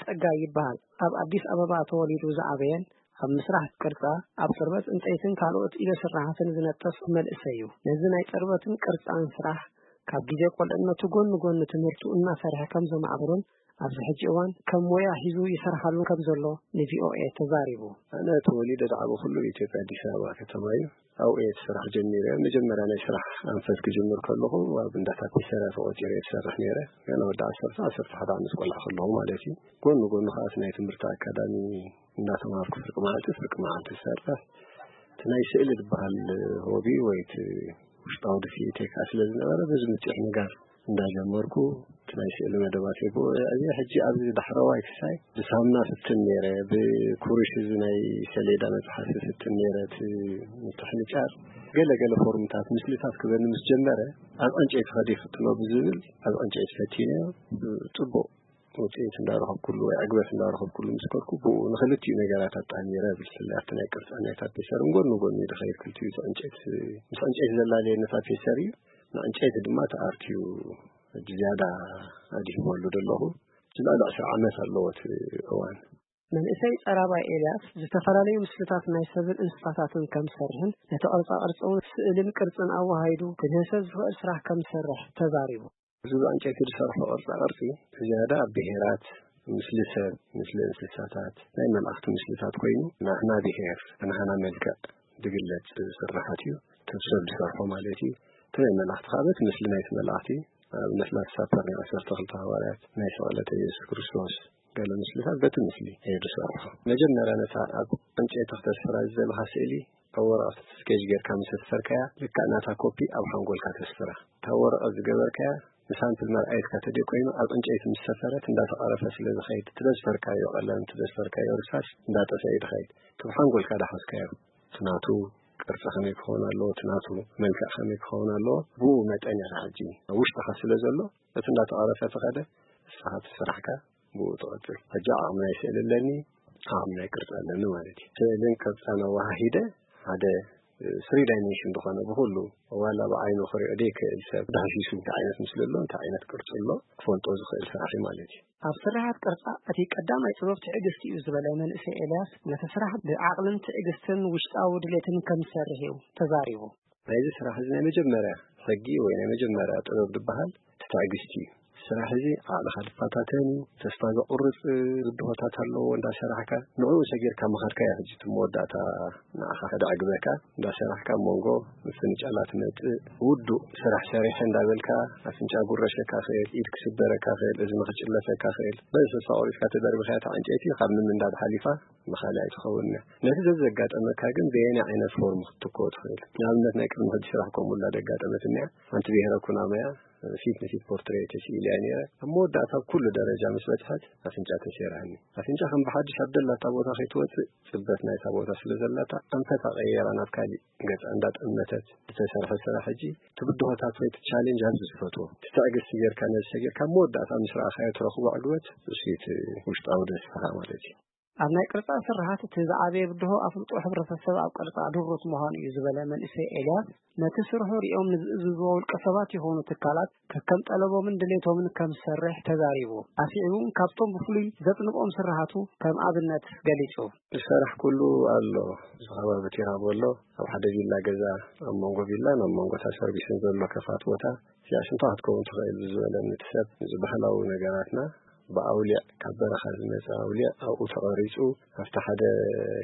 ጸጋይ ይበሃል። ኣብ ኣዲስ ኣበባ ተወሊዱ ዝዓበየን ኣብ ምስራሕ ቅርጻ፣ ኣብ ጽርበት ዕንጸይትን ካልኦት ኢደ ስራሓትን ዝነጥፍ መንእሰይ እዩ። ነዚ ናይ ጽርበትን ቅርጻን ስራሕ ካብ ግዜ ቆልዕነቱ ጎኒ ጎኒ ትምህርቱ እናሰርሐ ከም ዘማዕብሮን ኣብዚ ሕጂ እዋን ከም ሞያ ሒዙ ይሰርሓሉ ከም ዘሎ ንቪኦኤ ተዛሪቡ። ኣነ ተወሊደ ዝዓበኹሉ ኢትዮጵያ፣ ኣዲስ ኣበባ ከተማ እዩ። ኣብኡ እየ እቲ ስራሕ ጀሚረ። መጀመርያ ናይ ስራሕ ኣንፈት ክጅምር ከለኹ ኣብ እንዳ ታፒሰርያ ተቖጺረ እየ ዝሰርሕ ነይረ። ገና ወዲ ዓሰርተ፣ ዓሰርተ ሓደ ዓመት ቆልዓ ከለኹ ማለት እዩ። ጎኒ ጎኒ ከኣ እቲ ናይ ትምህርቲ ኣካዳሚ እንዳተማሃርኩ ፍርቂ መዓልቲ ፍርቂ መዓልቲ ዝሰርሕ፣ እቲ ናይ ስእሊ ዝበሃል ሆቢ ወይ እቲ ውሽጣዊ ድፍኢተይ ከኣ ስለ ዝነበረ፣ በዚ ምጽዕ ንጋር እንዳጀመርኩ እቲ ናይ ስእሊ መደባተይ ብኡ እዕብየ። ሕጂ ኣብዚ ዳሕረዋይ ክሳይ ብሳሙና ፍትን ነይረ፣ ብኩሩሽ እዚ ናይ ሰሌዳ መጽሓፊ ፍትን ነይረ፣ እቲ ምትሕንጫር ገለ ገለ ፎርምታት ምስልታት ክበኒ ምስ ጀመረ፣ ኣብ ዕንጨይቲ ከደ ይፍትኖ ብዝብል ኣብ ዕንጨይቲ ፈቲነዮ። ጽቡቕ ውጽኢት እንዳረኸብኩሉ ወይ ዕግበት እንዳረኸብኩሉ ምስ ከድኩ፣ ብኡ ንክልቲኡ ነገራት ኣጣሚረ፣ ብፍላይ ኣብቲ ናይ ቅርጻ ናይ ታፔሰርን ጎኒ ጎኒ ድኸይድ፣ ክልቲኡ እቲ ዕንጨይቲ፣ ምስ ዕንጨይቲ ዘላለየኒ ታፔሰር እዩ። ንዕንጨይቲ ድማ እቲ ኣርት እዩ ሕጂ ዝያዳ ኣድሂበሉ ዘለኹ። ልዕሊ ዕስራ ዓመት ኣለዎ እቲ እዋን። መንእሰይ ጸራባይ ኤልያስ ዝተፈላለዩ ምስልታት ናይ ሰብን እንስሳታትን ከም ዝሰርሕን ነቲ ቅርጻ ቅርጺ እውን ስእልን ቅርጽን ኣወሃሂዱ ክድህሰስ ዝኽእል ስራሕ ከም ዝሰርሕ ተዛሪቡ። እዚ ብዕንጨይቲ ዝሰርሖ ቅርጻ ቅርጺ ዝያዳ ኣብ ብሄራት፣ ምስሊ ሰብ፣ ምስሊ እንስሳታት፣ ናይ መላእኽቲ ምስልታት ኮይኑ ናህና ብሄር፣ ናህና መልክዕ ዝግለጽ ስርሓት እዩ። ከም ሰብ ዝሰርሖ ማለት እዩ። እቲ ናይ መላእኽቲ ከዓ በቲ ምስሊ ናይቲ መላእኽቲ፣ ኣብነት ላስት ሳፐር ናይ ዓሰርተ ክልተ ሃዋርያት፣ ናይ ስቕለት የሱስ ክርስቶስ፣ ገለ ምስልታት በቲ ምስሊ እየ ዝሰርሖ። መጀመርያ ነታ ኣብ ዕንጨይቲ ክተስፍራ ዝደለኻ ስእሊ ኣብ ወረቐት ስኬች ጌርካ ምስ ኣስፈርካያ፣ ልክዕ ናታ ኮፒ ኣብ ሓንጎልካ ተስፍራ። እታ ወረቐት ዝገበርካያ ንሳምፕል መርኣየትካ ተደይ ኮይኑ፣ ኣብ ዕንጨይቲ ምስ ሰፈረት እንዳተቐረፈ ስለ ዝኸይድ፣ እቲ ዘስፈርካዮ ቀለም፣ እቲ ዘስፈርካዮ እርሳስ እንዳጠፍአ እዩ ዝኸይድ። እቲ ብሓንጎልካ ዳሓዝካዮ፣ እቲ ናቱ ቅርጺ ከመይ ክኸውን ኣለዎ፣ እቲ ናቱ መልክዕ ከመይ ክኸውን ኣለዎ፣ ብኡ መጠን ኢኻ ሕጂ ኣብ ውሽጥኻ ስለ ዘሎ፣ እቲ እንዳተቐረፈ ተኸደ፣ ንስኻ እቲ ስራሕካ ብኡ ትቐጽል። ሕጂ ዓቕሚ ናይ ስእሊ ኣለኒ፣ ዓቕሚ ናይ ቅርጺ ኣለኒ ማለት እዩ። ስእልን ቅርጻን ኣወሃሂደ ሓደ ስሪ ዳይሜንሽን ዝኾነ ብኹሉ ዋላ ብዓይኑ ክሪኦ ዘይክእል ሰብ ዳህሲሱ እንታይ ዓይነት ምስሊ ኣሎ፣ እንታይ ዓይነት ቅርጺ ኣሎ ክፈልጦ ዝኽእል ስራሕ እዩ ማለት እዩ። ኣብ ስርሓት ቅርጻ እቲ ቀዳማይ ጥበብ ትዕግስቲ እዩ ዝበለ መንእሰይ ኤልያስ፣ ነቲ ስራሕ ብዓቕልን ትዕግስትን ውሽጣዊ ድሌትን ከም ዝሰርሕ እዩ ተዛሪቡ። ናይዚ ስራሕ እዚ ናይ መጀመርያ ሕጊ ወይ ናይ መጀመርያ ጥበብ ዝበሃል እቲ ትዕግስቲ እዩ። ስራሕ እዚ ዓቕልኻ ዝፈታተን እዩ። ተስፋ ዘቑርጽ ብድሆታት ኣለዎ እንዳሰራሕካ። ንዕኡ ሰጊርካ ምኻድካ እያ ሕጂ እቲ መወዳእታ ንዓኻ ከደዕግበካ። እንዳሰራሕካ ኣብ መንጎ ምፍንጫላት ትመጽእ። ውዱእ ስራሕ ሰሪሐ እንዳበልካ ኣፍንጫ ጉረሸካ ክእል፣ ኢድ ክስበረካ ክእል፣ እዝኒ ክጭለፈካ ክእል። በዚ ተስፋ ቆሪጽካ ተደርቢኻያ እታ ዕንጨይቲ ካብ ምምንዳድ ሓሊፋ ንኻልእ ኣይትኸውን እያ። ነቲ ዘዘጋጠመካ ግን በየናይ ዓይነት ፎርም ክትትክኦ ትኽእል? ንኣብነት ናይ ቅድሚ ሕጂ ስራሕ ከምኡ ኢላ ደጋጠመትኒ እያ። ሓንቲ ብሄረ ኩናማ እያ። ፊት ንፊት ፖርትሬት ስኢለ እያ ነይረ። ኣብ መወዳእታ ኣብ ኩሉ ደረጃ ምስ በጽሐት ኣፍንጫ ተሰይራኒ። ኣፍንጫ ከም ብሓድሽ ኣብ ደላታ ቦታ ከይትወጽእ ጽበት ናይታ ቦታ ስለ ዘላታ ኣንፈታ ቀይራ ናብ ካሊእ ገጻ እንዳጠመተት ዝተሰርሐ ስራሕ ሕጂ እቲ ብድሆታት ወይ እቲ ቻሌንጅ ኣብዚ ዝፈትዎ። እቲ ትዕግስቲ ጌርካ ነዚ ሰጊርካ ኣብ መወዳእታ ምስ ረኣኻዮ ትረኽቦ ዕግበት እሱ እዩ እቲ ውሽጣዊ ደስታኻ ማለት እዩ። ኣብ ናይ ቅርጻ ስርሓት እቲ ዝዓበየ ብድሆ ኣፍልጦ ሕብረተሰብ ኣብ ቅርጻ ድሩት ምዃኑ እዩ ዝበለ መንእሰይ ኤልያስ፣ ነቲ ስርሑ ሪኦም ንዝእዝዝዎ ውልቀ ሰባት ይኹኑ ትካላት ከከም ጠለቦምን ድሌቶምን ከም ዝሰርሕ ተዛሪቡ። ኣስዒቡ እውን ካብቶም ብፍሉይ ዘጽንቖም ስርሓቱ ከም ኣብነት ገሊጹ። ዝሰራሕ ኩሉ ኣሎ፣ እዚ ከባቢ ቲራቦ ኣሎ፣ ኣብ ሓደ ቪላ ገዛ፣ ኣብ መንጎ ቪላን ኣብ መንጎ እታ ሰርቪስን ዘሎ ከፋት ቦታ እዚኣ ሽንታ ክትከውን ትኽእል ብዝበለኒ እቲ ሰብ፣ እዚ ባህላዊ ነገራትና ብኣውሊዕ ካብ በረኻ ዝመጸ ኣውሊዕ ኣብኡ ተቐሪጹ፣ ኣብቲ ሓደ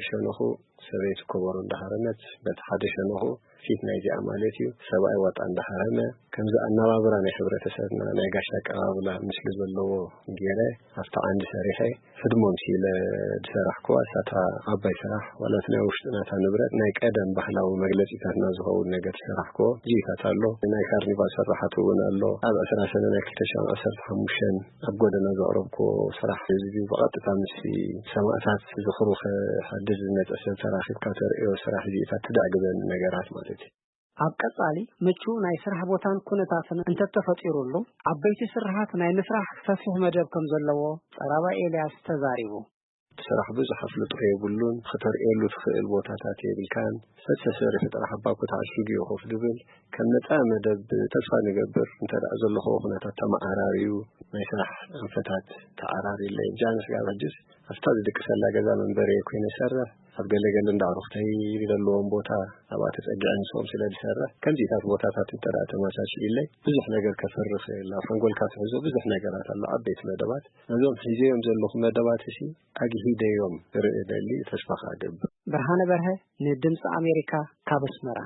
ሸነኹ ሰበይቲ ኮበሮ እንዳሃረመት፣ በቲ ሓደ ሸነኹ ፊት ናይዚኣ ማለት እዩ፣ ሰብኣይ ዋጣ እንዳሃረመ፣ ከምዚ ኣነባብራ ናይ ሕብረተሰብና ናይ ጋሻ ኣቀባብላ ምስሊ ዘለዎ ገይረ ኣብቲ ዓንዲ ሰሪሐ፣ ህድሞም ሲለ ዝሰራሕክዋ እሳታ ዓባይ ስራሕ፣ ዋላ እቲ ናይ ውሽጢ ናታ ንብረት ናይ ቀደም ባህላዊ መግለጺታትና ዝኸውን ነገር ዝሰራሕክዎ ጂታት ኣሎ። ናይ ካርኒቫል ስርሓት እውን ኣሎ። ኣብ ዕስራ ሰነ ናይ ክልተ ሺሕ ዓሰርተ ሓሙሽተ ኣብ ጎደና ዘቕረብክዎ ስራሕ ህዝቢ ብቐጥታ ምስ ሰማእታት ዝኽሩ ከሐድስ ዝመጸ ሰብ ተራኺብካ ተርእዮ ስራሕ እዚታት ትደዕግበኒ ነገራት ማለት እዩ። ኣብ ቀጻሊ ምቹው ናይ ስራሕ ቦታን ኩነታትን እንተተፈጢሩሉ፣ ዓበይቲ ስርሓት ናይ ምስራሕ ሰፊሕ መደብ ከም ዘለዎ ጸራባይ ኤልያስ ተዛሪቡ። ስራሕ ብዙሕ ኣፍልጦ የብሉን፣ ክተርእየሉ ትኽእል ቦታታት የብልካን። ሰብ ተሰሪሑ ጥራሕ ኣባኮ ተዓሺጉ እዩ ኮፍ ዝብል። ከም ነፃ መደብ ተስፋ ንገብር፣ እንተ ደኣ ዘለኹዎ ኩነታት ተመዓራርዩ፣ ናይ ስራሕ ኣንፈታት ተዓራርዩለይ። ጃንስ ጋር ሕጅስ ኣብታ ዝድቅሰላ ገዛ መንበሪ ኮይነ ይሰርሕ። ኣብ ገለገለ እንዳ ኣዕሩኽተይ ዘለዎም ቦታ ኣብኣ ተጸጊዐ ንስኦም ስለ ዝሰርሕ፣ ከምዚታት ቦታታት እንተ ደኣ ተመቻችኢለይ፣ ብዙሕ ነገር ከፍሪ ክእል። ኣብ ሓንጎልካ ትሕዞ ብዙሕ ነገራት ኣሎ፣ ዓበይቲ መደባት። ነዞም ሒዘዮም ዘለኹ መደባት እሲ ኣግሂደዮም ርኢ ደሊ ተስፋ ክገብር። ብርሃነ በርሀ ንድምፂ ኣሜሪካ ካብ ኣስመራ።